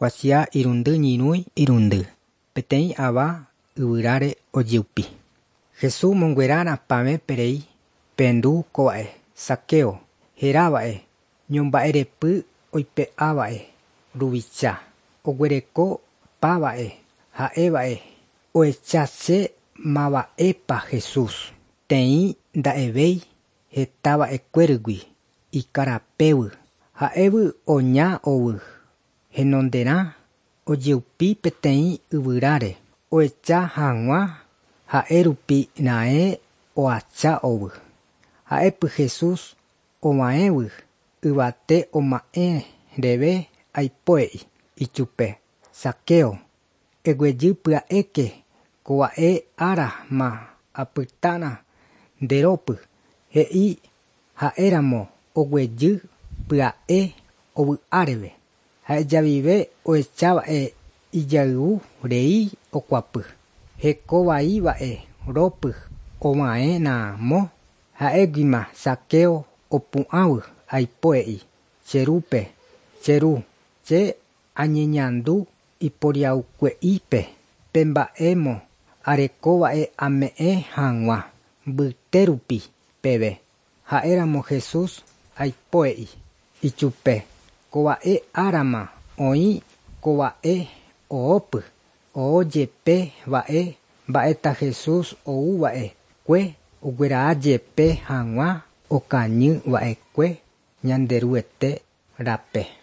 Kuatia irundy ñyrũi irundy. Peteĩ ava yvyráre ojeupi. Jesús monguerára pavẽ perei pendu kova'e Zaqueo herava'e ñomba'erepy oipe'áva'e ruvicha oguereko páva'e ha'eva'e ohecha che mava'épa Jesús teĩ nda'evéi hetava'ekuérygui ikarapévy ha'évy oña ovy henonderã ojeupi peteĩ yvyráre ohecha hag̃ua ha'érupi raẽ oacha ovy. Ha'épy Jesús ovaẽvy yvate oma'ẽ reve aipoe'i ichupe Zaqueo eguejy pya'éke kova'e ára ma apytárã nderópy he'i ha'éramo oguejy pya'e ovy'áreve. Ha'ejavive ohechava'e ijayvu rei okuapy. Hekovaiva'e rópy ovaẽramo ha'éguima Zaqueo opu'ãvy aipoe'i che rúpe che ru che añeñandu iporiahukue'ípe pe mba'émo arekova'e ame'ẽ hag̃ua mbytérupi peve. Ha'éramo Jesús aipoe'i ichupe kova'e árama oĩ kova'e oópy oojepe va'e mba'eta Jesús ouva'ekue oguerajepe hag̃ua okañyva'ekue Ñanderuete rape.